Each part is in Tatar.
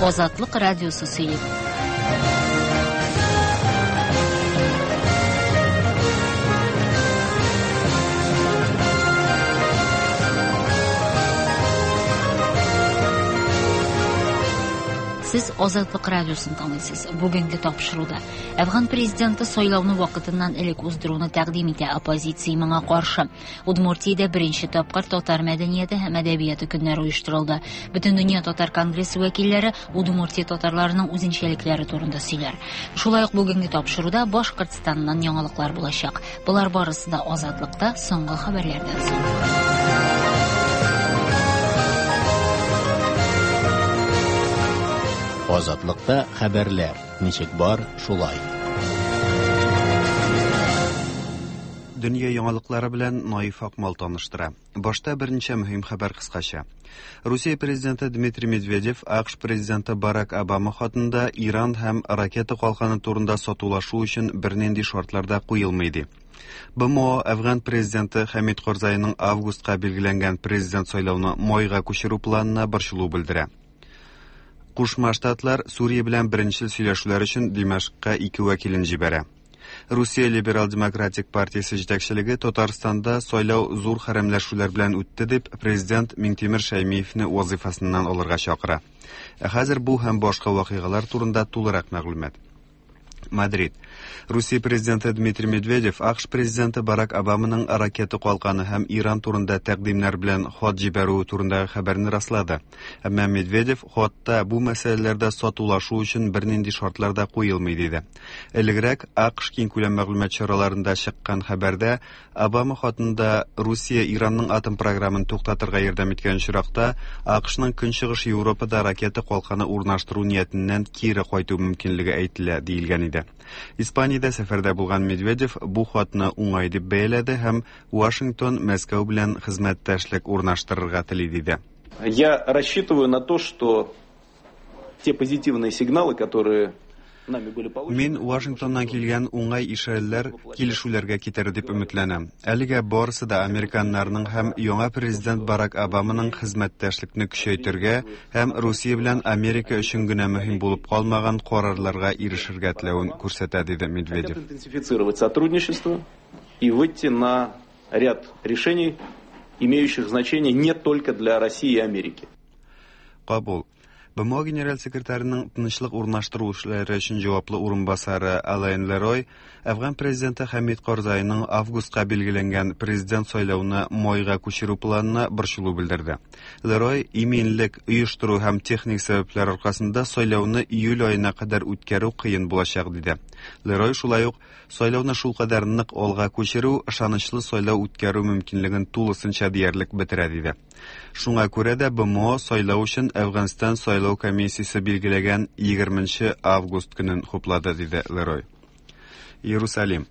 Азатлык радиосы сөйли. Сез Азатлык радиосын тыңлыйсыз. Бүгенге тапшыруда Әфган президенты сайлауны вакытыннан элек уздыруны тәкъдим итә, оппозиция моңа каршы. Удмуртиядә беренче тапкыр татар мәдәнияте һәм әдәбияты көннәре оештырылды. Бөтендөнья татар конгрессы вәкилләре Удмуртия татарларының үзенчәлекләре турында сөйләр. Шулай ук бүгенге тапшыруда Башкортстаннан яңалыклар булачак. Болар барысы да Азатлыкта соңгы хәбәрләрдән соң. Азатлыкта хәбәрләр ничек бар, шулай. Дөнья яңалыклары белән Наиф Акмал таныштыра. Башта берничә мөһим хәбәр кыскача. Русия президенты Дмитрий Медведев АКШ президенты Барак Обама хатында Иран һәм ракета калканы турында сатулашу өчен бернинди шартлар да куелмый ди. БМО Әфган президенты Хәмид Корзайның августка билгеләнгән президент сайлауны майга күчерү планына борчылу белдерә. Кушма Штатлар Сүрия белән беренчел сөйләшүләр өчен Димәшкка ике вәкилен җибәрә. Русия либерал-демократик партиясе җитәкчелеге Татарстанда сайлау зур хәрәмләшүләр белән үтте дип президент Миңтимер Шәймиевне вазыйфасыннан алырга чакыра. Ә хәзер бу һәм башка вакыйгалар турында тулырак мәгълүмат. Мадрид. Русия президенты Дмитрий Медведев АКШ президенты Барак Обаманың ракета калканы һәм Иран турында тәкъдимнәр белән хат җибәрүе турындагы хәбәрне раслады. Әмма Медведев хатта бу мәсьәләләрдә сатулашу өчен бернинди шартлар да куелмый диде. Элегрәк АКШ киңкүләм мәгълүмат чараларында чыккан хәбәрдә Обама хатында Русия Иранның атом програмын туктатырга ярдәм иткән очракта АКШның Көнчыгыш Европада ракета калканы урнаштыру ниятеннән кире кайту мөмкинлеге әйтелә диелгән иде. Испаниядә сәфәрдә булган Медведев бу хатны уңай дип бәяләде һәм Вашингтон Мәскәү белән хезмәттәшлек урнаштырырга тели диде. Я рассчитываю на то, что те позитивные сигналы, которые нами были получены. Мин Вашингтоннан килгән уңай ишарәләр килешүләргә китерер дип өметләнәм. Әлегә барысы да американнарның һәм яңа президент Барак Обаманың хезмәттәшлекне көчәйтергә һәм Русия белән Америка өчен генә мөһим булып калмаган карарларга ирешергә теләвен күрсәтә, диде Медведев. Хотят интенсифицировать сотрудничество и выйти на ряд решений, имеющих значение не только для России и Америки. Кабул. БМО генераль секретарының тынычлык урнаштыру эшләре өчен җаваплы урынбасары Алайн Лерой Әфган президенты Хәмид Карзайның августка билгеләнгән президент сайлауны майга күчерү планына борчылу белдерде. Лерой иминлек, оештыру һәм техник сәбәпләр аркасында сайлауны июль аена кадәр үткәрү кыен булачак диде. Лерой шулай ук сайлауны шулкадәр нык алга күчерү ышанычлы сайлау үткәрү мөмкинлеген тулысынча диярлек бетерә диде. Шуңа күрә дә БМО сайлау өчен Әфганстан сайлау комиссиясе билгеләгән 20 август көнен хуплады, диде Лерой. Иерусалим.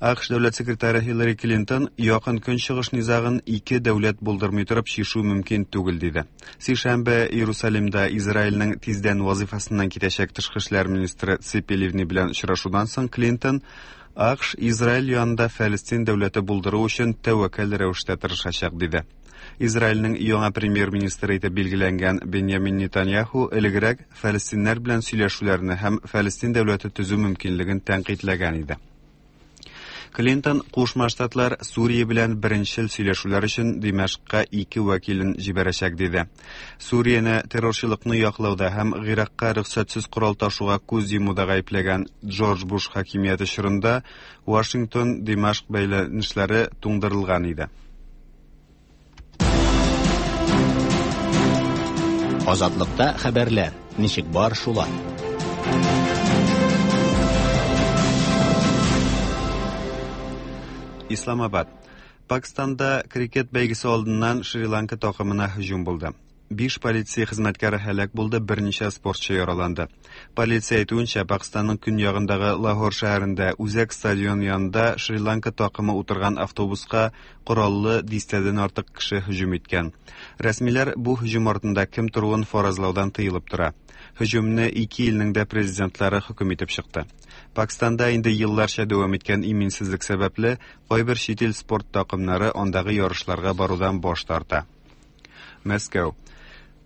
АКШ дәүләт секретаре Хиллари Клинтон якын көнчыгыш низагын ике дәүләт булдырмый торып чишү мөмкин түгел диде. Сишәмбе Иерусалимда Израильнең тиздән вазифасыннан китәчәк тышкы эшләр министры Ципи Ливни белән очрашудан соң Клинтон АКШ Израиль янында Фәлестин дәүләте булдыру өчен тәвәккәл рәвештә тырышачак диде. Израильнең яңа премьер-министры итеп билгеләнгән Беньямин Нетаньяху элегрәк фәлестиннәр белән сөйләшүләрне һәм Фәлестин дәүләте төзү мөмкинлеген тәнкыйтьләгән иде. Клинтон Кушма Штатлар Сүрия белән беренчел сөйләшүләр өчен Димәшкка ике вәкилен җибәрәчәк диде. Сүрияне террорчылыкны яклауда һәм Гыйракка рөхсәтсез корал ташуга күз йомуда гаепләгән Джордж Буш хакимияте чорында Вашингтон Димәшк бәйләнешләре туңдырылган иде. Азатлыкта хәбәрләр ничек бар шулай. Исламабад. Пакистанда крикет бәйгесе алдыннан Шри-Ланка такымына һөҗүм булды. Биш полиция хезмәткәре һәлак булды, берничә спортчы яраланды. Полиция әйтүенчә, Пакистанның көньягындагы Лахор шәһәрендә үзәк стадион янында Шри-Ланка такымы утырган автобуска кораллы дистәдән артык кеше һөҗүм иткән. Рәсмиләр бу һөҗүм артында кем торуын фаразлаудан тыелып тора. Һөҗүмне ике илнең дә президентлары хөкем итеп чыкты. Пакистанда инде елларча дәвам иткән иминсезлек сәбәпле, кайбер чит ил спорт такымнары андагы ярышларга барудан баш тарта. Мәскәү.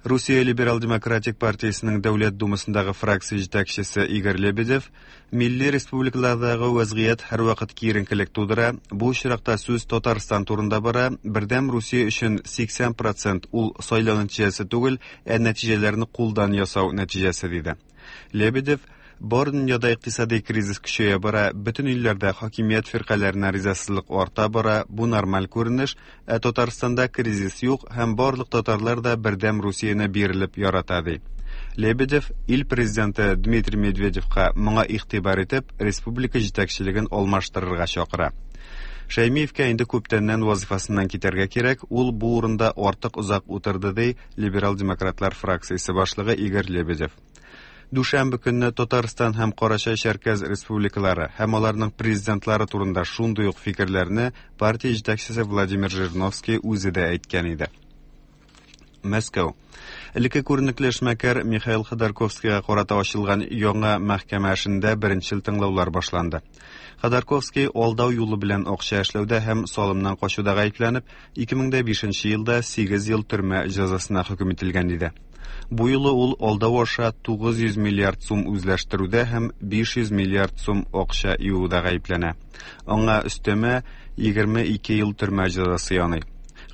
Русия Либерал-демократик партиясенең Дәүләт Думасындагы фракция җитәкчесе Игорь Лебедев милли республикалардагы вәзгыять һәрвакыт киеренкелек тудыра, бу очракта сүз Татарстан турында бара, Бердәм Русия өчен 80 процент ул сайлау нәтиҗәсе түгел, ә нәтиҗәләрне кулдан ясау нәтиҗәсе, диде. Лебедев, бар дөньяда икътисади кризис көчәя бара, бөтен илләрдә хакимият фиркаләренә ризасызлык арта бара, бу нормаль күренеш, ә Татарстанда кризис юк һәм барлык татарлар да Бердәм Русияне бирелеп ярата, ди. Лебедев ил президенты Дмитрий Медведевка моңа игътибар итеп, республика җитәкчелеген алмаштырырга чакыра. Шәймиевкә инде күптәннән вазифасыннан китәргә кирәк, ул бу урында артык озак утырды, ди либерал-демократлар фракциясе башлыгы Игорь Лебедев. Дүшәмбе көнне Татарстан һәм Карачай-Чәркәз республикалары һәм аларның президентлары турында шундый ук фикерләрне партия җитәкчесе Владимир Жириновский үзе дә әйткән иде. Мәскәү. Элекке күренекле эшмәкәр Михаил Ходорковскийга карата ачылган яңа мәхкәмә эшендә беренчел тыңлаулар башланды. Ходорковский алдау юлы белән акча эшләүдә һәм салымнан качуда гаепләнеп, 2005 елда 8 ел төрмә җәзасына хөкем ителгән иде. Бу юлы ул алдау аша 900 миллиард сум үзләштерүдә һәм 500 миллиард сум акча юуда гаепләнә. Аңа өстәмә 22 ел төрмә җәзасы яный.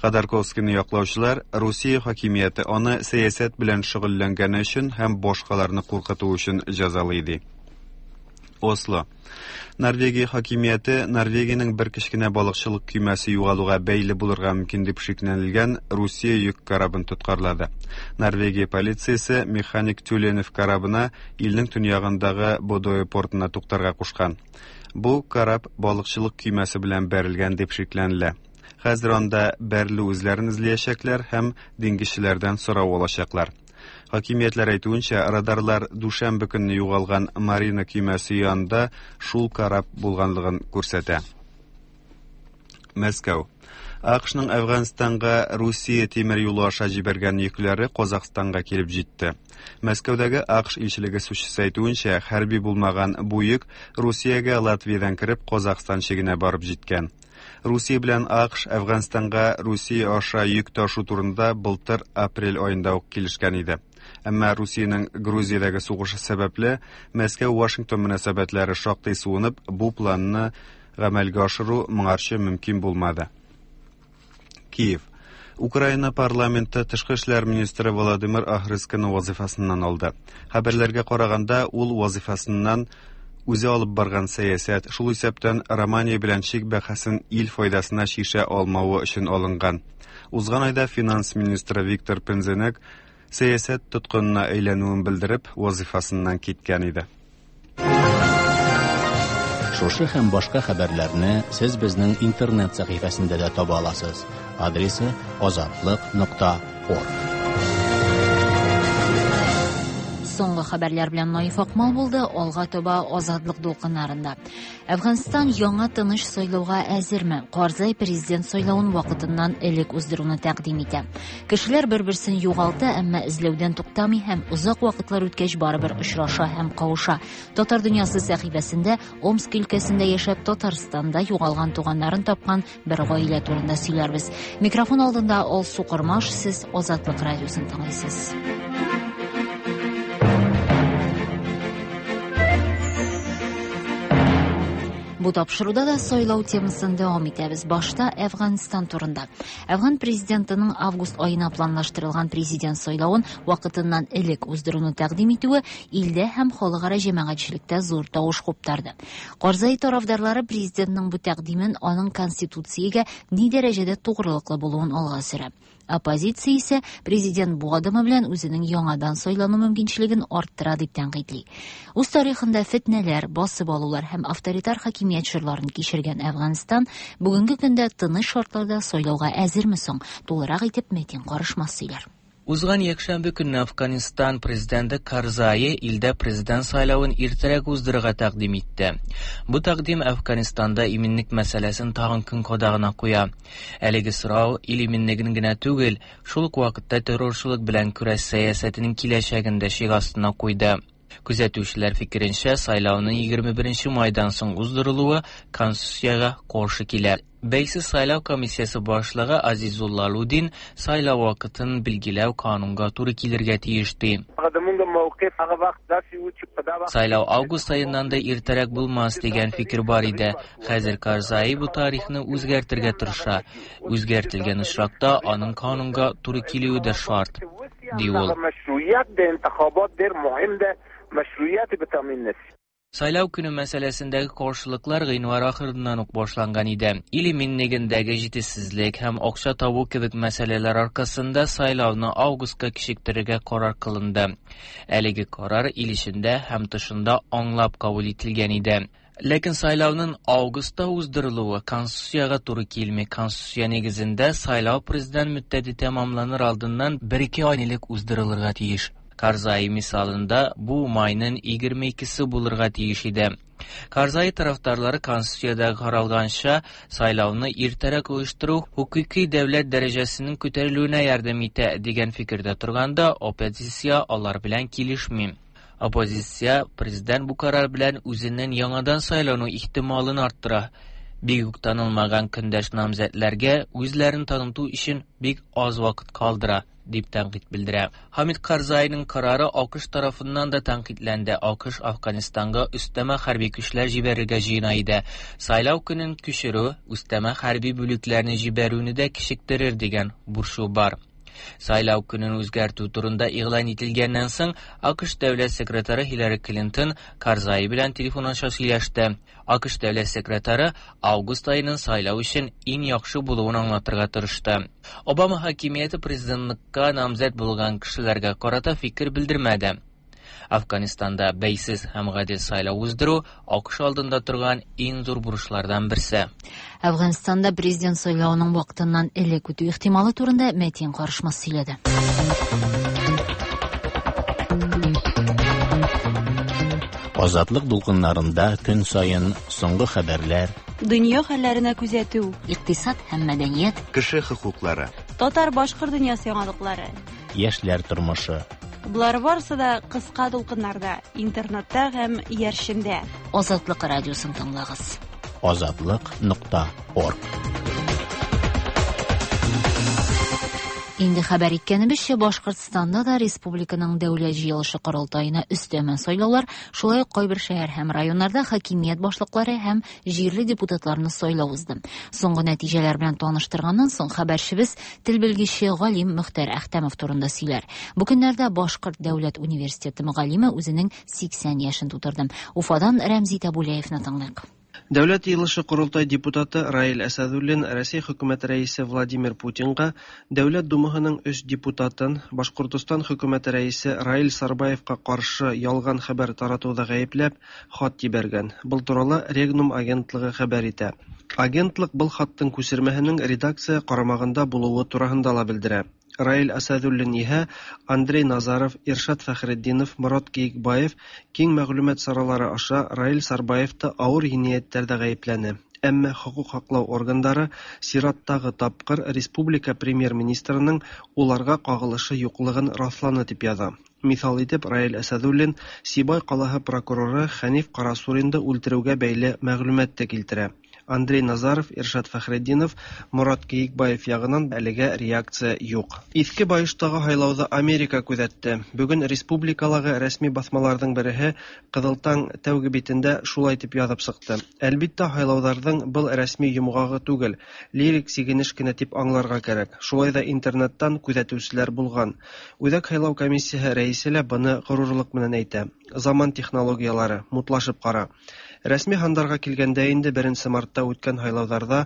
Ходорковскийны яклаучылар Русия хакимияте аны сәясәт белән шөгыльләнгәне өчен һәм башкаларны куркыту өчен җәзалый ди. Осло. Норвегия хакимияте Норвегиянең бер кечкенә балыкчылык көймәсе югалуга бәйле булырга мөмкин дип шикләнелгән Русия йөк корабын тоткарлады. Норвегия полициясе механик Тюленев корабына илнең төньягындагы Бодое портына туктарга кушкан. Бу кораб балыкчылык көймәсе белән бәрелгән дип шикләнелә. Хәзер анда бәрелү эзләрен эзләячәкләр һәм диңгезчеләрдән сорау алачаклар. Хакимиятләр әйтүенчә, радарлар дүшәмбе көнне югалган Марина көймәсе янында шул кораб булганлыгын күрсәтә. Мәскәү. АКШның Әфганстанга Русия тимер юлы аша җибәргән йөкләре Казахстанга килеп җитте. Мәскәүдәге АКШ илчелеге сүзчесе әйтүенчә, хәрби булмаган бу йөк Русиягә Латвиядән кереп Казахстан чигенә барып җиткән. Русия белән АКШ Әфганстанга Русия аша йөк ташу турында былтыр апрель аенда ук килешкән иде. Әмма Русиянең Грузиядәге сугышы сәбәпле Мәскәү-Вашингтон мөнәсәбәтләре шактый суынып, бу планны гамәлгә ашыру моңарчы мөмкин булмады. Киев. Украина парламенты тышкы эшләр министры Володимир Ахрыскины вазифасыннан алды. Хәбәрләргә караганда, ул вазифасыннан үзе алып барган сәясәт, шул исәптән Романия белән чик бәхәсен ил файдасына чишә алмавы өчен алынган. Узган айда финанс министры Виктор Пензенек сәясәт тоткынына әйләнүен белдереп, вазифасыннан киткән иде. Шушы һәм башка хәбәрләрне сез безнең интернет сәхифәсендә дә таба аласыз. Адресы азатлык.орг. Соңгы хәбәрләр белән Наиф Акмал булды, алга таба Азатлык дулкыннарында. Әфганстан яңа тыныч сайлауга әзерме? Карзай президент сайлавын вакытыннан элек уздыруны тәкъдим итә. Кешеләр бер-берсен югалта, әмма эзләүдән туктамый һәм озак вакытлар үткәч барыбер очраша һәм кавыша. Татар дөньясы сәхифәсендә Омск өлкәсендә яшәп Татарстанда югалган туганнарын тапкан бер гаилә турында сөйләрбез. Микрофон алдында Алсу Кормаш, сез Азатлык радиосын тыңлыйсыз. Бу тапшыруда да сайлау темасын дәвам итәбез. Башта Әфганстан турында. Әфган президентының август аена планлаштырылган президент сайлавын вакытыннан элек уздыруны тәкъдим итүе илдә һәм халыкара җәмәгатьчелектә зур тавыш куптарды. Карзай тарафдарлары президентның бу тәкъдимен аның конституциягә ни дәрәҗәдә тугрылыклы булуын алга сөрә. Оппозиция исә президент бу адымы белән үзенең яңадан сайлану мөмкинчелеген арттыра дип тәнкыйтьли. Үз тарихында фетнәләр, басып алулар һәм авторитар хакимият чорларын кичергән Әфганстан бүгенге көндә тыныч шартларда сайлауга әзерме соң? Тулырак итеп Метин Карышмас сөйләр. Узган якшәмбе көнне Афганистан президенты Карзай илдә президент сайлавын иртәрәк уздырырга тәкъдим итте. Бу тәкъдим Афганистанда иминлек мәсьәләсен тагын көн кадагына куя. Әлеге сорау ил иминлеген генә түгел, шул ук вакытта террорчылык белән көрәш сәясәтенең киләчәген дә шик астына куйды. Күзәтүчеләр фикеренчә, сайлауның 21 майдан соң уздырылуы конституциягә каршы килә. Бәйсез сайлау комиссиясе башлыгы Азизулла Лудин сайлау вакытын билгеләү канунга туры килергә тиеш ди. Сайлау август аеннан да иртәрәк булмас дигән фикер бар иде. Хәзер Карзаи бу тарихны үзгәртергә тырыша. Үзгәртелгән очракта аның канунга туры килүе дә шарт, ди ул. Сайлау көне мәсьәләсендәге каршылыклар гыйнвар ахырыннан ук башланган иде. Ил иминлегендәге җитешсезлек һәм акча табу кебек мәсьәләләр аркасында сайлауны августка кичектерергә карар кылынды. Әлеге карар ил эчендә һәм тышында аңлап кабул ителгән иде. Ләкин сайлауның августта уздырылуы конституциягә туры килми. Конституция нигезендә сайлау президент мөддәте тәмамланыр алдыннан бер-ике ай элек уздырылырга тиеш. Карзаи мисалында бу майның 22-се булырга тиеш иде. Карзаи тарафдарлары конституциядә каралганча сайлауны иртәрәк оештыру хокукый дәүләт дәрәҗәсенең күтәрелүенә ярдәм итә дигән фикердә торганда, оппозиция алар белән килешми. Оппозиция президент бу карар белән үзенең яңадан сайлану ихтималын арттыра. Бик үк танылмаган көндәш намзәтләргә үзләрен таныту өчен бик аз вакыт калдыра, дип тәнкыйть белдерә. Хамид Карзайның карары АКШ тарафыннан да тәнкыйтьләнде. АКШ Афганистанга өстәмә хәрби көчләр җибәрергә җыена иде. Сайлау көнен күчерү, өстәмә хәрби бүлекләрне җибәрүне дә кичектерер дигән борчу бар. Сайлау көнен үзгәртү турында игълан ителгәннән соң, АКШ дәүләт секретаре Хиллари Клинтон Карзай белән телефон аша сөйләште. АКШ дәүләт секретаре август аеның сайлау өчен иң яхшы булуын аңлатырга тырышты. Обама хакимияте президентлыкка намзәт булган кешеләргә карата фикер белдермәде. Афганистанда бәйсез һәм гадел сайлау уздыру АКШ алдында торган иң зур бурычлардан берсе. Әфганстанда президент сайлавының вакытыннан элек үтү ихтималы турында Мәтин Карышмас сөйләде. Азатлык дулкыннарында көн саен соңгы хәбәрләр, Дөнья хәлләренә күзәтү, Икътисад һәм мәдәният, Кеше хокуклары. татар-башкорт дөньясы яңалыклары. яшьләр тормышы. Болар барысы да кыска дулкыннарда, интернетта һәм иярчендә. Азатлык радиосын тыңлагыз. Азатлык.орг. Инде хәбәр иткәнебезчә, Башкортстанда да республиканың дәүләт җыелышы корылтаена өстәмә сайлаулар, шулай ук кайбер шәһәр һәм районнарда хакимият башлыклары һәм җирле депутатларны сайлау узды. Соңгы нәтиҗәләр белән таныштырганнан соң хәбәрчебез тел белгече галим Мөхтәр Әхтәмов турында сөйләр. Бу көннәрдә Башкорт дәүләт университеты мөгаллиме үзенең 80 яшен тутырды. Уфадан Рәмзи Табулаевны тыңлыйк. Дәүләт йыелышы корылтай депутаты Раил Әсәдуллин Россия хөкүмәте рәисе Владимир Путинга Дәүләт Думаһының өч депутатын Башкортостан хөкүмәте рәисе Раил Сарбаевка каршы ялган хәбәр таратуда гаепләп хат җибәргән. Был туралы Регнум агентлыгы хәбәр итә. Агентлык был хаттың күсермәһенең редакция карамагында булуы тураһында ла белдерә. Раил Асадуллин иһә Андрей Назаров, Иршат Фәхретдинов, Морат Киекбаев киң мәгълүмат саралары аша Раил Сарбаевты авыр җинаятьләрдә гаепләне. Әмма хокук һаклау органдары сираттагы тапкыр республика премьер-министрының уларга кагылышы юклыгын расланы дип яза. Мисал итеп Раил Әсәдуллин Сибай калаһы прокуроры Хәниф Карасуринды үлтерүгә бәйле мәгълүмат та килтерә. Андрей Назаров, Иршат Фәхретдинов, Морат Киекбаев ягынан әлегә реакция юк. Иске Байыштагы һайлауҙы Америка күҙәтте. Бөгөн республикалағы рәсми баҫмаларҙың береһе Ҡыҙыл таң тәүге битендә шулай тип яҙып сыҡты. Әлбиттә, һайлауҙарҙың был рәсми йомғағы түгел, лирик сигенеш кенә тип аңларға кәрәк. Шулай ҙа интернеттан күҙәтеүселәр булған. Үҙәк һайлау комиссияһы рәйесе лә быны ғорурлыҡ менән әйтә. Заман технологиялары, мутлашып ҡара. Рәсми һандарға килгәндә инде 1 мартта үткән һайлауҙарҙа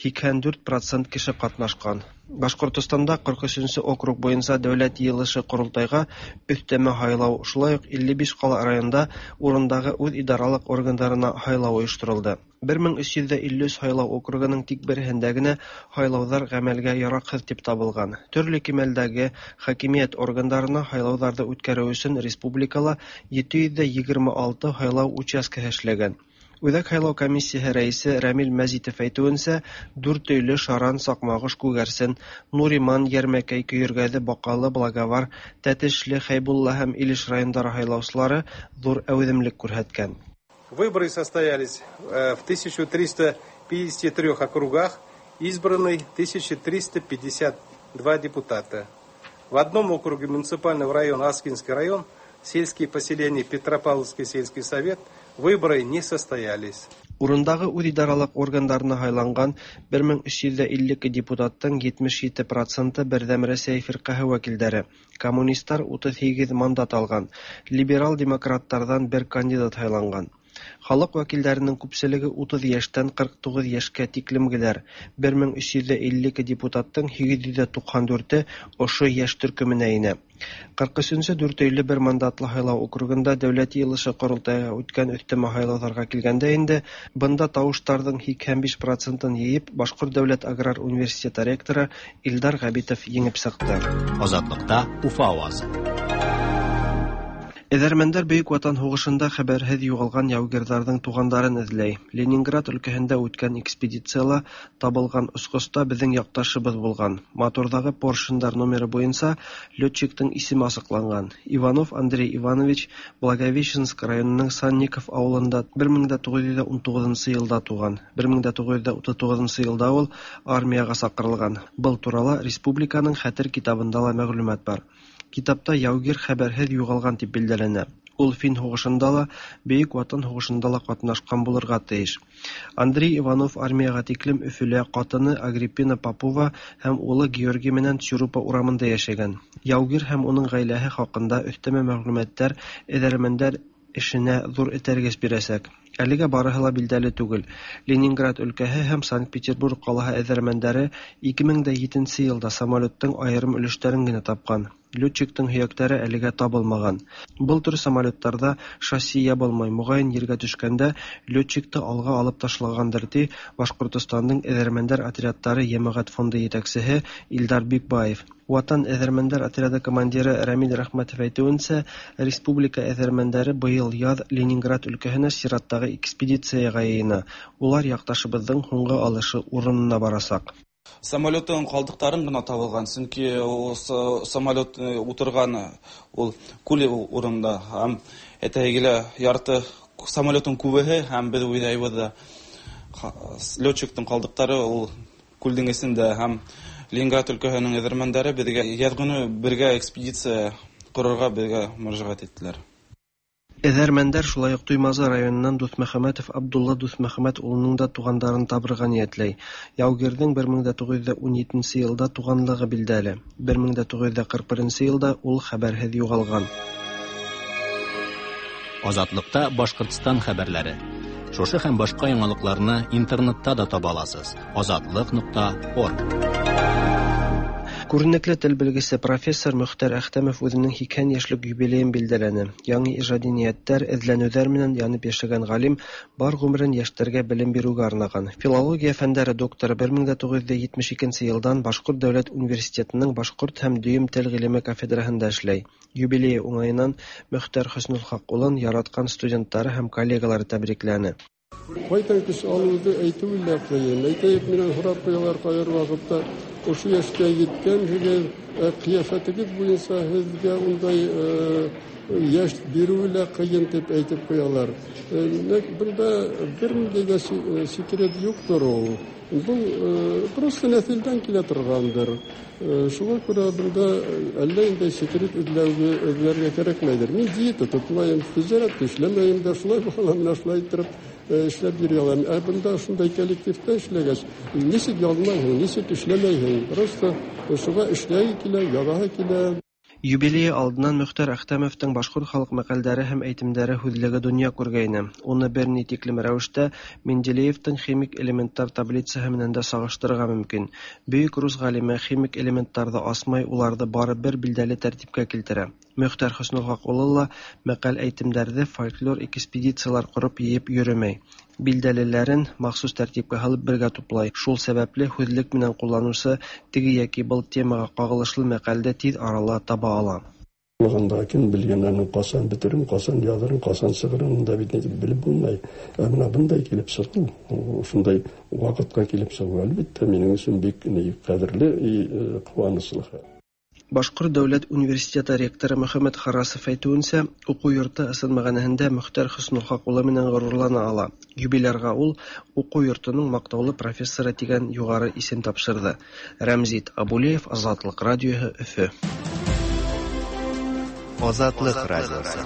84% кеше ҡатнашҡан. Башҡортостанда 43 округ буйынса дәүләт йыйылышы ҡоролтайға өҫтәмә һайлау, шулай уҡ 55 ҡала районда урындағы үҙ идаралыҡ органдарына һайлау ойошторолдо. 1353 һайлау округының тик береһендә генә һайлауҙар ғәмәлгә яраҡһыҙ тип табылған. Төрлө кимәлдәге хакимиәт органдарына һайлауҙарҙы үткәреү өсөн республикала 726 һайлау участкаһы эшләгән. Үзәк һайлау комиссияһе рәисе Рәмил Мәзитов әйтүенсә, Дүртөйле, Шаран, Сакмагыш, Күгәрсен, Нуриман, Ярмәкәй, Көергәзе, Бакалы, Благовар, Тәтешле, Хәйбулла һәм Илеш районнары һайлаучылары зур әүземлек күрһәткән. Выборы состоялись в 1353 округах, избраны 1352 депутата. В одном округе муниципального района Аскинский район, сельские поселения Петропавловский сельский совет, выборы не состоялись. Урындагы үзидарәлек органнарына һайланган 1352 депутаттың 77 проценты Бердәм Рәсәй фиркаһе вәкилдәре. Коммунистлар 38 мандат алган. Либерал демократлардан бер кандидат һайланган. Халык вәкилләренең күпчелеге 30 яшьтән 49 яшькә тиклемгеләр. 1352 депутаттың 894-е ошо яшь төркеменә инә. 43-нче Дүртөйле бер мандатлы һайлау округында Дәүләт йыелышы корылтайга үткән өҫтәмә һайлауҙарға килгәндә инде, бында тауыштарҙың 85 процентын йыйып, Башҡорт дәүләт аграр университеты ректоры Илдар Ғәбитов еңеп сыҡты. Азатлыкта Уфа авазы. Эҙәрмәндәр Бөйөк Ватан һуғышында хәбәрһеҙ юғалған яугирҙарҙың туғандарын эҙләй. Ленинград өлкәһендә үткән экспедицияла табылған осҡоста беҙҙең яҡташыбыҙ булған. Моторҙағы поршендар номеры буйынса летчиктың исеме асыҡланған. Иванов Андрей Иванович Благовещенск районының Санников ауылында 1919 йылда туған. 1939 йылда ул армияға саҡырылған. Был турала республиканың хәтер китабында ла мәғлүмәт бар. Китапта яугир хәбәрһеҙ юғалған тип билдәләнә. Ул фин һуғышында ла, Бөйөк Ватан һуғышында ла ҡатнашҡан булырға тейеш. Андрей Иванов армияға тиклем Өфөлә ҡатыны Агриппина Попова һәм улы Георгий менән Цюрупа урамында йәшәгән. Яугир һәм уның ғаиләһе хаҡында өҫтәмә мәғлүмәттәр эҙәрмәндәр эшенә ҙур этәргес бирәсәк. Әлегә барыһы ла билдәле түгел. Ленинград өлкәһе һәм Санкт-Петербург ҡалаһы эҙәрмәндәре 2007 йылда самолеттың айырым өлөштәрен генә тапҡан. Летчиктың һөйәктәре әлегә табылмаған. Был төр самолеттарҙа шасси ябылмай, моғайын ергә төшкәндә летчикты алға алып ташлағандыр, ти Башҡортостандың эҙәрмәндәр отрядтары йәмәғәт фонды етәксеһе Илдар Бикбаев. Ватан эҙәрмәндәр отряды командиры Рәмил Рәхмәтов әйтеүенсә, республика эҙәрмәндәре быйыл яҙ Ленинград өлкәһенә сираттағы экспедицияға йыйына. Улар яҡташыбыҙҙың һуңғы алышы урынына барасаҡ. Самолеттың ҡалдыҡтарын ғына табылған, сөнки самолет ултырған ул күл урында һәм әтәйге лә ярты самолеттың күбеһе һәм беҙ уйлайбыҙ ҙа летчиктың ҡалдыҡтары ул күлдең эсендә һәм Ленинград өлкәһенең эҙәрмәндәре беҙгә яҙ көнө бергә экспедиция ҡорорға беҙгә мөрәжәғәт иттеләр. Эҙәрмәндәр шулай уҡ Туймазы районынан Дуҫмөхәмәтов Абдулла Дуҫмөхәмәт улының да туғандарын табырға ниәтләй. Яугирҙең 1917 йылда туғанлығы билдәле. 1941 йылда ул хәбәрһеҙ юғалған. Азатлыкта Башҡортостан хәбәрләре. Шушы һәм башҡа яңалыҡларны интернетта да таба аласыз. Азатлык.орг. Күренекле тел белгесе профессор Мөхтәр Әхтәмов үҙенең 80 йәшлек юбилейын билдәләне. Яңы ижади ниәттәр, эҙләнеүҙәр менән янып йәшәгән ғалим бар ғүмерен йәштәргә белем биреүгә арнаған. Филология фәндәре докторы 1972 йылдан Башҡорт дәүләт университетының башҡорт һәм дөйөм тел ғилеме кафедраһында эшләй. Юбилейы уңайынан Мөхтәр Хөснөлхаҡ улын яратҡан студенттары һәм коллегалары тәбрикләне. Ҡайҙан көс алыуҙы әйтеүе лә ҡыйын. Әйтәйек, минән һорап ҡуялар ҡайһы ваҡытта, ошо йәшкә еткәнһегеҙ, ҡиәфәтегеҙ буйынса һеҙгә ундай йәш биреүе лә ҡыйын тип әйтеп ҡуялар. Бында бер ниндәй ҙә секрет юҡтыр ул. Был просто нәҫелдән килә торғандыр. Шуға күрә бында әллә ниндәй секрет эҙләргә кәрәкмәйҙер. Мин диета тотмайым, тижәрәттә эшләмәйем дә, шулай була, менә шулай иттереп эшләп йөрөй алам. Ә бында шундай коллективта эшләгәс, нисек яҙмайһың, нисек эшләмәйһең? Просто шуға эшләй килә, яҙаһы килә. Юбилейы алдынан Мөхтәр Әхтәмовтың башҡорт халыҡ мәҡәлдәре һәм әйтемдәре һүҙлеге донъя күргәйне. Уны бер ни тиклем рәүештә Менделеевтың химик элементтар таблицаһы менән дә сағыштырырға мөмкин. Бөйөк рус ғалимы химик элементтарҙы асмай, уларҙы бары бер билдәле тәртипкә килтерә. Мөхтәр Хөснөлхаҡ улы ла мәҡәл әйтемдәрҙе фольклор экспедициялар ҡороп йыйып йөрөмәй. Билдәлеләрен махсус тәртипкә һалып бергә туплай. Шул сәбәпле һүҙлек менән ҡулланыусы теге йәки был темаға ҡағылышлы мәҡәлде тиҙ арала таба ала. Анда кем белгән аның касан бетерен, касан язырын, касан чыгырын, да бит белеп булмай. Ә менә бындай килеп чыгу, шундай вакытка килеп чыгу, әлбәттә, минем өчен бик кадерле и куанычлы хәл. Башкорт дәүләт университеты ректоры Мөхәммәт Харрасов әйтүенчә, уку йорты ысын мәгънәһендә Мөхтәр Хөснулхак улы менән горурлана ала. Юбилярга ул уку йортының мактаулы профессоры дигән югары исем тапшырды. Рәмзит Абулеев, Азатлык радиоһы, Өфө. Азатлык радиосы.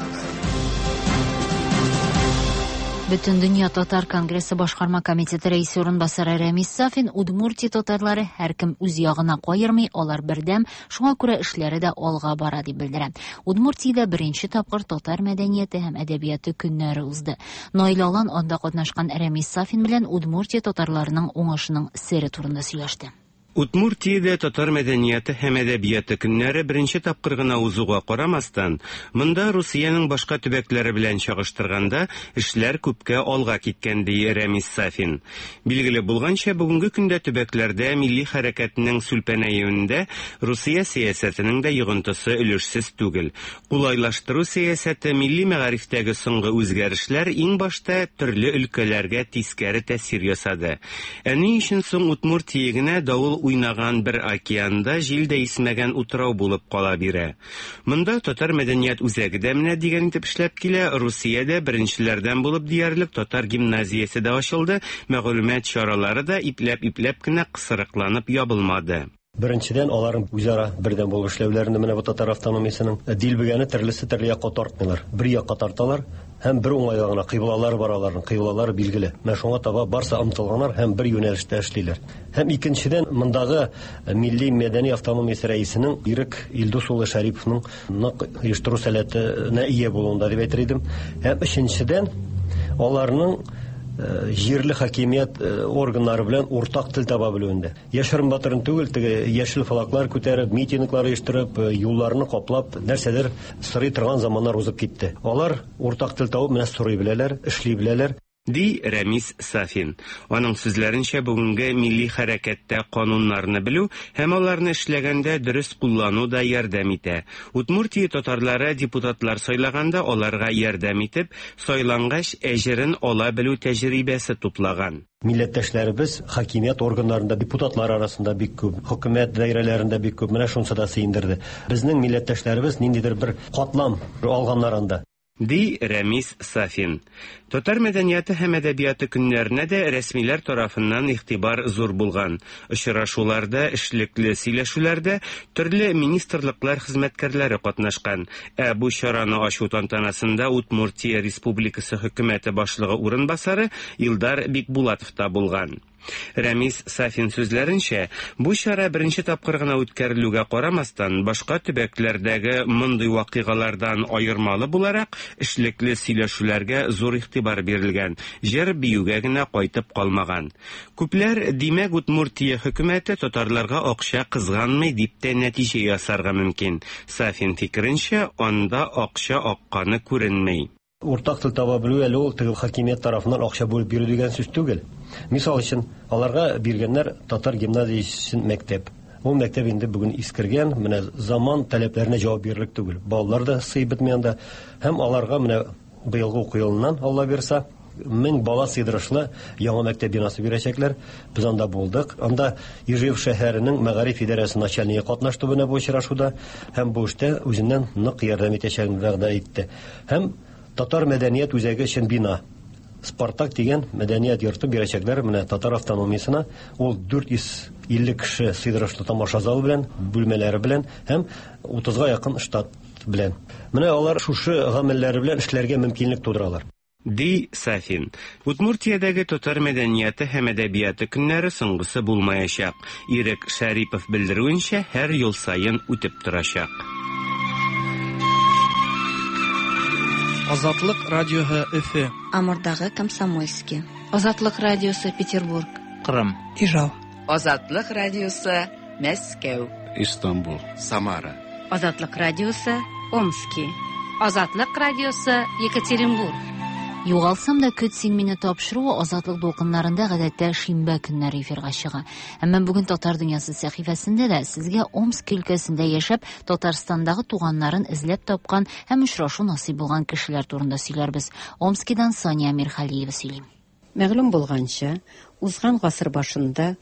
Бөтендөнья татар конгрессы башкарма комитеты рәисе урынбасары Рәмис Сафин Удмуртия татарлары һәркем үз ягына каермый, алар бердәм, шуңа күрә эшләре дә алга бара дип белдерә. Удмуртиядә беренче тапкыр татар мәдәнияте һәм әдәбияты көннәре узды. Наил Алан анда катнашкан Рәмис Сафин белән Удмуртия татарларының уңышының сере турында сөйләште. Удмуртиядә татар мәдәнияте һәм әдәбияты көннәре беренче тапкыр гына узуга карамастан, монда Русиянең башка төбәкләре белән чагыштырганда эшләр күпкә алга киткән, ди Рәмис Сафин. Билгеле булганча, бүгенге көндә төбәкләрдә милли хәрәкәтнең сүлпәнәюендә Русия сәясәтенең дә йогынтысы өлешсез түгел. Кулайлаштыру сәясәте, милли мәгарифтәге соңгы үзгәрешләр иң башта төрле өлкәләргә тискәре тәэсир ясады. Ә ни өчен соң Удмуртия генә давыл уйнаган бер океанда җил дә исмәгән утрау булып кала бирә? Монда татар мәдәният үзәге дә менә дигән итеп эшләп килә, Русиядә беренчеләрдән булып диярлек татар гимназиясе дә ачылды, мәгълүмат чаралары да ипләп-ипләп кенә кысрыкланып ябылмады. Беренчедән, аларның үзара бердәм булып эшләүләрендә менә бу татар автономиясенең дилбегәне төрлесе төрле якка тартмыйлар. Бер якка тарталар һәм бер уңайга гына кыйблалары бар аларның, кыйблалары билгеле. Менә шуңа таба барсы омтылганнар һәм бер юнәлештә эшлиләр. Һәм икенчедән, мондагы милли мәдәни автономиясе рәисенең Ирек Илдус улы Шәриповның нык оештыру сәләтенә ия булуында дип әйтер идем. Һәм өченчедән, аларның җирле хакимият органнары белән уртак тел таба белүендә. Яшерен батырын түгел, теге яшел флаглар күтәреп, митинглар оештырып, юлларны каплап, нәрсәдер сорый торган заманнар узып китте. Алар уртак тел табып, менә сорый беләләр, эшли беләләр. Ди Рәмис Сафин. Аның сүзләренчә, бүгенге милли хәрәкәттә кануннарны белү һәм аларны эшләгәндә дөрес куллану да ярдәм итә. Удмуртия татарлары депутатлар сайлаганда аларга ярдәм итеп, сайлангач әҗерен ала белү тәҗрибәсе туплаган. Милләттәшләребез хакимият органнарында, депутатлар арасында бик күп, хөкүмәт даирәләрендә бик күп, менә шунысы да сөендерде. Безнең милләттәшләребез ниндидер бер катлам алганнар анда. Ди Рәмис Сафин. Татар мәдәнияте һәм әдәбияты көннәренә дә рәсмиләр тарафыннан игътибар зур булган. Очрашуларда, эшлекле сөйләшүләрдә төрле министрлыклар хезмәткәрләре катнашкан. Ә бу чараны ачу тантанасында Удмуртия Республикасы хөкүмәте башлыгы урынбасары Илдар Бикбулатов та булган. Рәмис Сафин сүзләренчә, бу чара беренче тапкыр гына үткәрелүгә карамастан, башка төбәкләрдәге мондый вакыйгалардан аермалы буларак, эшлекле сөйләшүләргә зур игътибар бирелгән, җыр биюгә генә кайтып калмаган. Күпләр, димәк, Удмуртия хөкүмәте татарларга акча кызганмый дип тә нәтиҗә ясарга мөмкин. Сафин фикеренчә, анда акча акканы күренми. Уртак тел таба белү әле ул теге хакимият тарафыннан акча бүлеп бирү дигән сүз түгел. Мисал өчен, аларга биргәннәр татар гимназиясе өчен мәктәп. Ул мәктәп инде бүген искергән, менә заман таләпләренә җавап бирерлек түгел. Балалар да сыйып бетми анда. Һәм аларга менә быелгы уку елыннан, Алла бирса, 1000 бала сыйдырышлы яңа мәктәп бинасы бирәчәкләр. Без анда булдык. Анда Ижев шәһәренең мәгариф идарәсе начальнигы катнашты менә бу очрашуда һәм бу эштә үзеннән нык ярдәм итәчәген вәгъдә итте. Һәм татар мәдәният үзәге өчен бина. Спартак дигән мәдәният йорты бирәчәкләр менә татар автономиясенә. Ул 450 кеше сыйдырышлы тамаша залы белән, бүлмәләре белән һәм 30-га якын штат белән. Менә алар шушы гамәлләре белән эшләргә мөмкинлек тудыралар. Ди Сафин. Удмуртиядәге татар мәдәнияте һәм әдәбияты көннәре соңгысы булмаячак. Ирек Шәрипов белдерүенчә, һәр ел саен үтеп торачак. Азатлык радиоһы Өфө. Амурдагы Комсомольский. Азатлык радиосы Петербург. Кырым. Ижау. Азатлык радиосы Мәскәү. Истанбул. Самара. Азатлык радиосы Омски. Азатлык радиосы Екатеринбург. Югалсам да көт син мине тапшыруы Азатлык дулкыннарында гадәттә шимбә көннәре эфирга чыга. Әмма бүген Татар дөньясы сәхифәсендә дә сезгә Омск өлкәсендә яшәп, Татарстандагы туганнарын эзләп тапкан һәм очрашу насыйп булган кешеләр турында сөйләрбез. Омскидан Сания Мирхалиева сөйли. Мәгълүм булганча, узган гасыр башында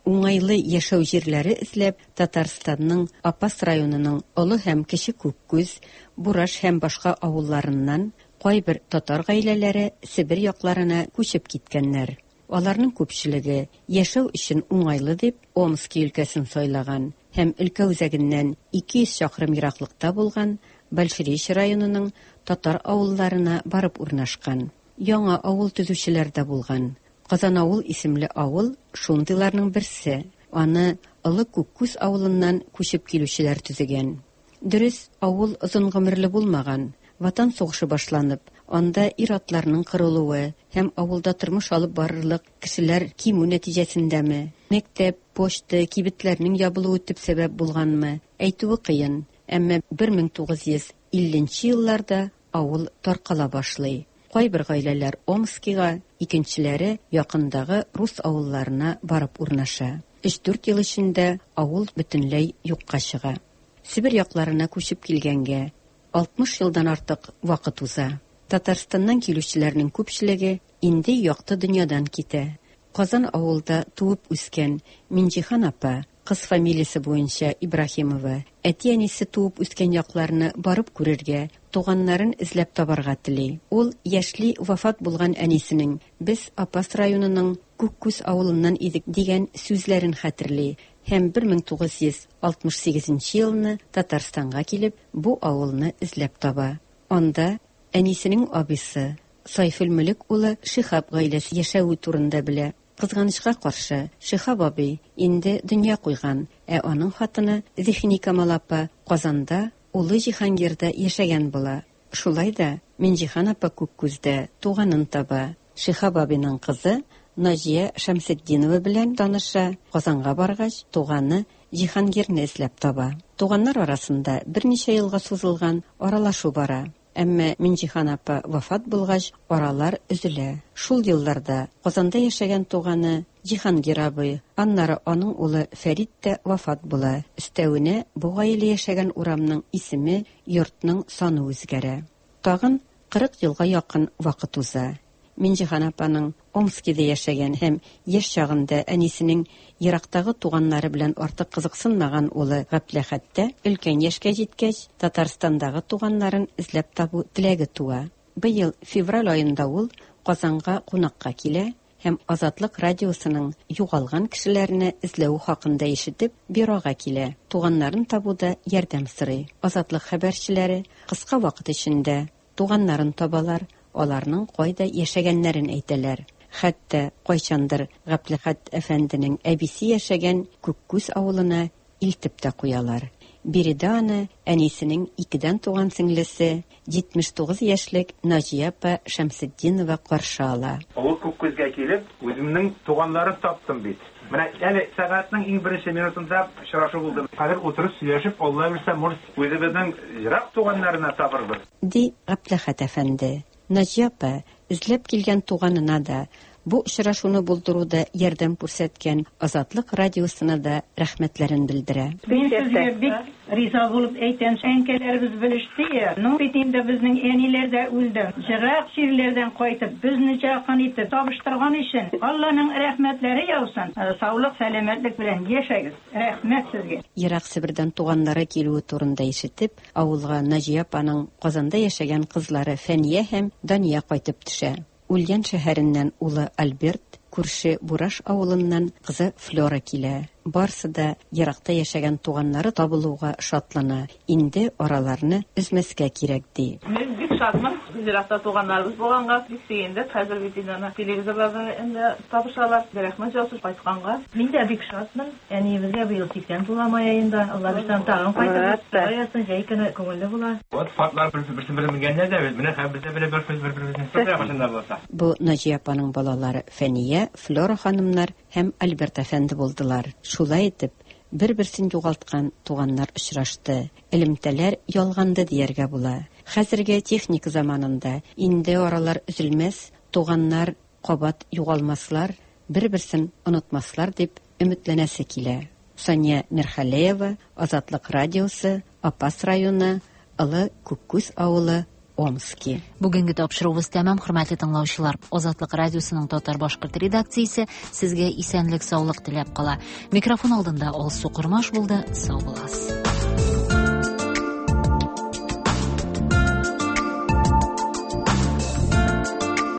уңайлы яшәү җирләре эзләп Татарстанның Апас районының Олы һәм Кече Күккүз, Бураш һәм башка авылларыннан кайбер татар гаиләләре Себер якларына күчеп киткәннәр. Аларның күпчелеге яшәү өчен уңайлы дип Омски өлкәсен сайлаган һәм өлкә үзәгеннән 200 чакрым ераклыкта булган Большеречье районының татар авылларына барып урнашкан. Яңа авыл төзүчеләр дә булган. Казанавыл исемле авыл шундыйларның берсе. Аны Олы Күккүз авылыннан күчеп килүчеләр төзегән. Дөрес, авыл озын гомерле булмаган. Ватан сугышы башланып, анда ир-атларның кырылуы һәм авылда тормыш алып барырлык кешеләр кимү нәтиҗәсендәме, мәктәп, почта, кибетләрнең ябылуы төп сәбәп булганмы, әйтүе кыен, әмма 1950 нче елларда авыл таркала башлый. Кайбер гаиләләр Омскига, икенчеләре якындагы рус авылларына барып урнаша. Өч-дүрт ел эчендә авыл бөтенләй юкка чыга. Себер якларына күчеп килгәнгә 60 елдан артык вакыт уза. Татарстаннан килүчеләрнең күпчелеге инде якты дөньядан китә. Казан авылда туып үскән Минҗиһан апа, кыз фамилиясе буенча Ибраһимова, әти-әнисе туып үскән якларны барып күрергә, туганнарын эзләп табарга тели. Ул яшьли вафат булган әнисенең, Без Апас районының Күккүз авылыннан идек, дигән сүзләрен хәтерли һәм 1968 нче елны Татарстанга килеп, бу авылны эзләп таба. Анда әнисенең абыйсы, Сайфелмөлек улы Шиһап гаиләсе яшәве турында белә. Кызганычка каршы, Шиһап абый инде дөнья куйган, ә аның хатыны Зиһеникамал апа Казанда улы Җиһангирда яшәгән була. Шулай да Минҗиһан апа Күккүздә туганын таба. Шиһап абыйның кызы Наҗия Шәмсетдинова белән таныша, Казанга баргач, туганы Җиһангирны эзләп таба. Туганнар арасында берничә елга сузылган аралашу бара. Әмма Минҗиһан апа вафат булгач, аралар өзелә. Шул елларда Казанда яшәгән туганы Җиһангир абый, аннары аның улы Фәрит тә вафат була. Өстәвенә, бу гаилә яшәгән урамның исеме, йортның саны үзгәрә. Тагын 40 елга якын вакыт уза. Минҗиһан апаның Омскида яшәгән һәм яшь чагында әнисенең ерактагы туганнары белән артык кызыксынмаган улы Гаптләхәттә өлкән яшькә җиткәч, Татарстандагы туганнарын эзләп табу теләге туа. Быел февраль аенда ул Казанга кунакка килә һәм Азатлык радиосының югалган кешеләрне эзләве хакында ишетеп, бюрога килә, туганнарын табуда ярдәм сорый. Азатлык хәбәрчеләре кыска вакыт эчендә туганнарын табалар, аларның кайда яшәгәннәрен әйтәләр. Хәтта кайчандыр Гаптлехәт әфәнденең әбисе яшәгән Күккүз авылына илтеп тә куялар. Биредә аны әнисенең икедән туган сеңлесе, 79 яшьлек Наҗия апа Шәмсетдинова каршы ала. Олы Күккүзгә килеп, үземнең туганнарын таптым бит. Менә әле сәгатьнең иң беренче минутында очрашу булды. Хәзер утырып сөйләшеп, Алла бирсә, может, үзебезнең ерак туганнарына табырбыз. Ди Гаптләхәт әфәнде. Наҗия апа эзләп килгән туганына да, бу очрашуны булдыруда ярдәм күрсәткән Азатлык радиосына да рәхмәтләрен белдерә. Мин сезгә бик риза булып әйтәм, әнкәләребез белеште я, ну бит инде безнең әниләр дә үлде. Җырак җирләрдән кайтып, безне якын итеп табыштырган өчен Алланың рәхмәтләре яусын. Саулык, сәламәтлек белән яшәгез. Рәхмәт сезгә. Ерак Себердән туганнары килүе турында ишетеп, Авылга Наҗия апаның Казанда яшәгән кызлары Фәния һәм Дания кайтып төшә. Ульян шәһәреннән улы Альберт, күрше Бураш авылыннан кызы Флера килә. Барсы да еракта яшәгән туганнары табылуга шатлана, инде араларны өзмәскә кирәк, ди. Мин бик шатмын, еракта туганнарыбыз булганга бик сөендек. Хәзер бит инде аны телевизорларда инде табышалар. Рәхмәт яусын кайтканга. Мин дә бик шатмын. Әниебезгә быел 80 тула май аенда. Алла бирсә, тагын кайтырбыз. Алла язсын, җәй көне күңелле була. Вот картлар берсен бере менгәннәр дә без менә хәзер без дә белеп барыбыз бер-беребезне. Шулай кайчан да булса. Бу Наҗия апаның балалары Фәния, Флера ханымнар һәм Альберт әфәнде булдылар. Шулай итеп, бер-берсен югалткан туганнар очрашты. Элемтәләр ялганды дияргә була. Хәзерге техника заманында инде аралар өзелмәс, туганнар кабат югалмаслар, бер-берсен онытмаслар дип өметләнәсе килә. Сания Мирхалеева, Азатлык радиосы, Апас районы, Олы Күккүз авылы, Омски. Бүгенге тапшыруыбыз тәмам, хөрмәтле тыңлаучылар. Азатлык радиосының татар-башкорт редакциясе сезгә исәнлек-саулык теләп кала. Микрофон алдында Алсу Кормаш булды. Сау булыгыз.